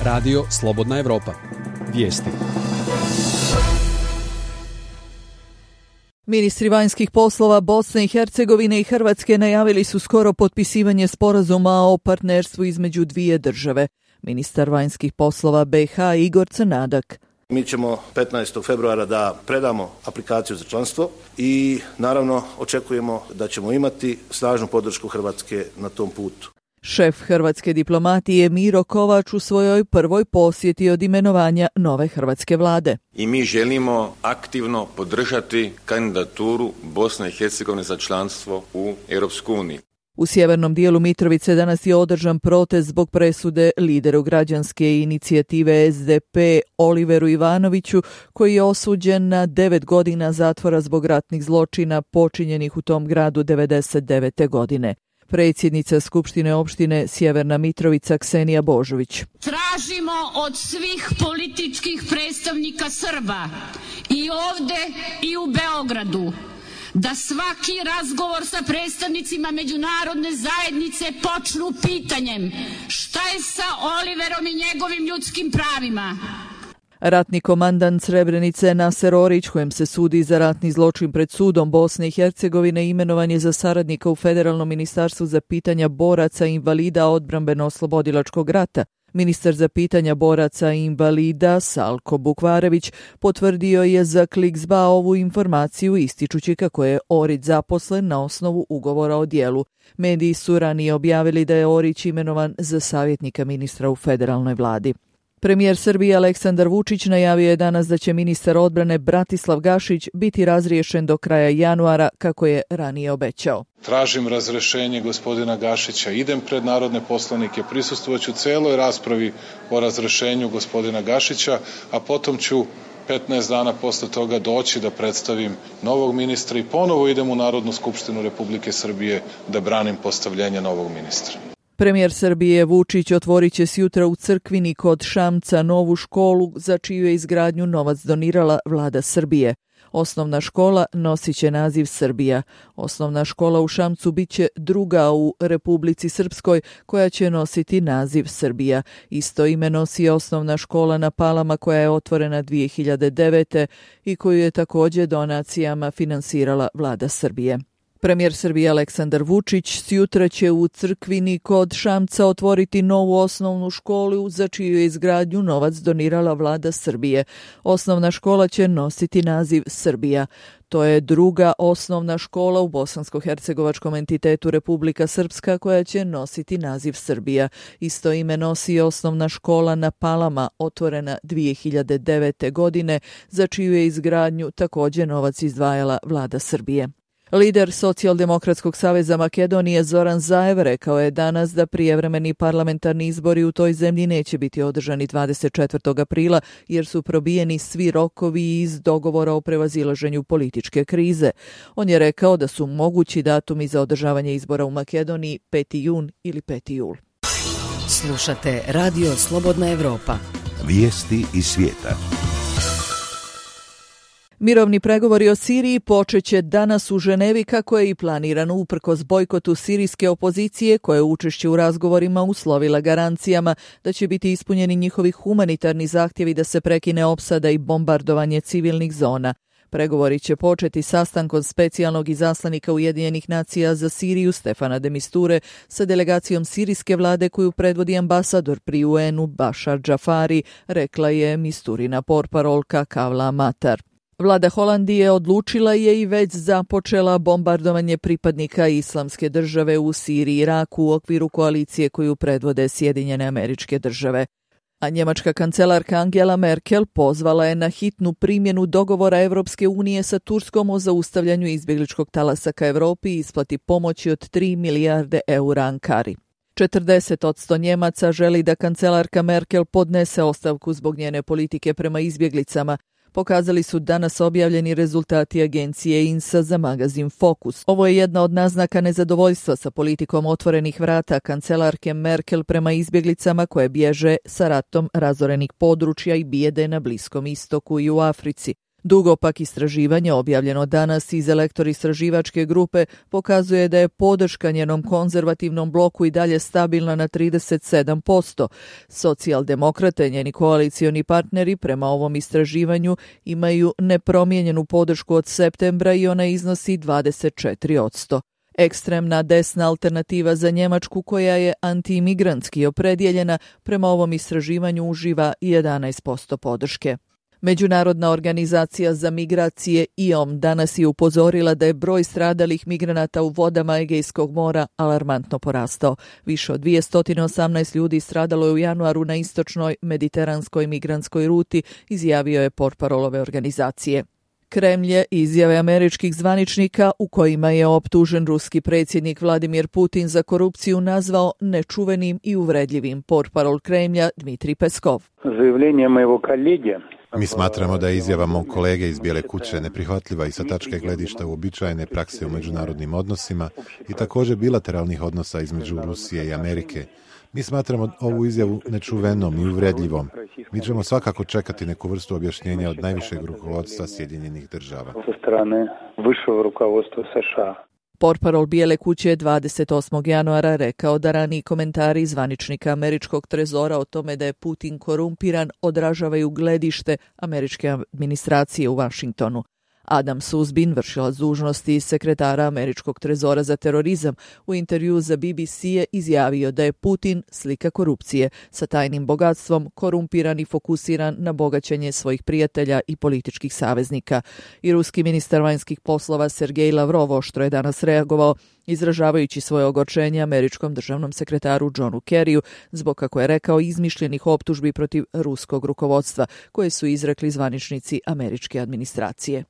Radio Slobodna Evropa. Vijesti. Ministri vanjskih poslova Bosne i Hercegovine i Hrvatske najavili su skoro potpisivanje sporazuma o partnerstvu između dvije države. Ministar vanjskih poslova BiH Igor Crnadak. Mi ćemo 15. februara da predamo aplikaciju za članstvo i naravno očekujemo da ćemo imati snažnu podršku Hrvatske na tom putu. Šef hrvatske diplomatije Miro Kovač u svojoj prvoj posjeti od imenovanja nove hrvatske vlade. I mi želimo aktivno podržati kandidaturu Bosne i Hercegovine za članstvo u Europskoj uniji. U sjevernom dijelu Mitrovice danas je održan protest zbog presude lideru građanske inicijative SDP Oliveru Ivanoviću, koji je osuđen na 9 godina zatvora zbog ratnih zločina počinjenih u tom gradu 1999. godine. Predsjednica Skupštine opštine Sjeverna Mitrovica Ksenija Božović. Tražimo od svih političkih predstavnika Srba i ovdje i u Beogradu da svaki razgovor sa predstavnicima međunarodne zajednice počnu pitanjem šta je sa Oliverom i njegovim ljudskim pravima. Ratni komandant Srebrenice Naser Orić, kojem se sudi za ratni zločin pred sudom Bosne i Hercegovine, imenovan je za saradnika u Federalnom ministarstvu za pitanja boraca i invalida odbrambeno-oslobodilačkog rata. Ministar za pitanja boraca i invalida Salko Bukvarević potvrdio je za Kliksba ovu informaciju, ističući kako je Orić zaposlen na osnovu ugovora o djelu. Mediji su ranije objavili da je Orić imenovan za savjetnika ministra u federalnoj vladi. Premijer Srbije Aleksandar Vučić najavio je danas da će ministar odbrane Bratislav Gašić biti razriješen do kraja januara, kako je ranije obećao. Tražim razrešenje gospodina Gašića, idem pred narodne poslanike, prisustvovaću celoj raspravi o razrešenju gospodina Gašića, a potom ću 15 dana posle toga doći da predstavim novog ministra i ponovo idem u Narodnu skupštinu Republike Srbije da branim postavljenje novog ministra. Premijer Srbije Vučić otvorit će sjutra u Crkvini kod Šamca novu školu za čiju je izgradnju novac donirala vlada Srbije. Osnovna škola nosit će naziv Srbija. Osnovna škola u Šamcu bit će druga u Republici Srpskoj koja će nositi naziv Srbija. Isto ime nosi osnovna škola na Palama koja je otvorena 2009. i koju je također donacijama finansirala vlada Srbije. Premijer Srbije Aleksandar Vučić sjutra će u Crkvini kod Šamca otvoriti novu osnovnu školu za čiju je izgradnju novac donirala vlada Srbije. Osnovna škola će nositi naziv Srbija. To je druga osnovna škola u bosansko-hercegovačkom entitetu Republika Srpska koja će nositi naziv Srbija. Isto ime nosi osnovna škola na Palama, otvorena 2009. godine, za čiju je izgradnju također novac izdvajala vlada Srbije. Lider Socijaldemokratskog saveza Makedonije Zoran Zaev rekao je danas da prijevremeni parlamentarni izbori u toj zemlji neće biti održani 24. aprila jer su probijeni svi rokovi iz dogovora o prevazilaženju političke krize. On je rekao da su mogući datumi za održavanje izbora u Makedoniji 5. jun ili 5. jul. Slušate Radio Slobodna Evropa. Vijesti iz svijeta. Mirovni pregovori o Siriji počeće danas u Ženevi kako je i planirano uprkos bojkotu sirijske opozicije koja je učešće u razgovorima uslovila garancijama da će biti ispunjeni njihovi humanitarni zahtjevi da se prekine opsada i bombardovanje civilnih zona. Pregovori će početi sastankom specijalnog izaslanika Ujedinjenih nacija za Siriju Stefana de Misture sa delegacijom sirijske vlade koju predvodi ambasador pri UN-u Bašar Džafari, rekla je Misturina portparolka Kavla Matar. Vlada Holandije odlučila je i već započela bombardovanje pripadnika Islamske države u Siriji i Iraku u okviru koalicije koju predvode Sjedinjene Američke Države. A njemačka kancelarka Angela Merkel pozvala je na hitnu primjenu dogovora Evropske unije sa Turskom o zaustavljanju izbjegličkog talasa ka Evropi i isplati pomoći od 3 milijarde eura Ankari. 40% Njemaca želi da kancelarka Merkel podnese ostavku zbog njene politike prema izbjeglicama, pokazali su danas objavljeni rezultati agencije INSA za magazin Focus. Ovo je jedna od naznaka nezadovoljstva sa politikom otvorenih vrata kancelarke Merkel prema izbjeglicama koje bježe sa ratom razorenih područja i bijede na Bliskom istoku i u Africi. Dugopak istraživanje objavljeno danas iz Elektor istraživačke grupe pokazuje da je podrška njenom konzervativnom bloku i dalje stabilna na 37%. Socijaldemokrate, njeni koalicioni partneri, prema ovom istraživanju imaju nepromijenjenu podršku od septembra i ona iznosi 24%. Ekstremna desna alternativa za Njemačku, koja je antiimigrantski opredjeljena, prema ovom istraživanju uživa 11% podrške. Međunarodna organizacija za migracije IOM danas je upozorila da je broj stradalih migranata u vodama Egejskog mora alarmantno porastao. Više od 218 ljudi stradalo je u januaru na istočnoj mediteranskoj migrantskoj ruti, izjavio je portparol ove organizacije. Kremlj je izjave američkih zvaničnika u kojima je optužen ruski predsjednik Vladimir Putin za korupciju nazvao nečuvenim i uvredljivim. Portparol Kremlja Dmitrij Peskov. Mi smatramo da je izjava mog kolege iz Bijele kuće neprihvatljiva i sa tačke gledišta uobičajene prakse u međunarodnim odnosima i također bilateralnih odnosa između Rusije i Amerike. Mi smatramo ovu izjavu nečuvenom i uvredljivom. Mi ćemo svakako čekati neku vrstu objašnjenja od najvišeg rukovodstva Sjedinjenih Država. Portparol Bijele kuće 28. januara rekao da raniji komentari zvaničnika američkog trezora o tome da je Putin korumpiran odražavaju gledište američke administracije u Vašingtonu. Adam Suzbin, vršilac dužnosti sekretara američkog trezora za terorizam, u intervju za BBC je izjavio da je Putin slika korupcije, sa tajnim bogatstvom, korumpiran i fokusiran na bogaćenje svojih prijatelja i političkih saveznika. I ruski ministar vanjskih poslova Sergej Lavrov oštro je danas reagovao, izražavajući svoje ogorčenje američkom državnom sekretaru Johnu Kerryu zbog, kako je rekao, izmišljenih optužbi protiv ruskog rukovodstva koje su izrekli zvaničnici američke administracije.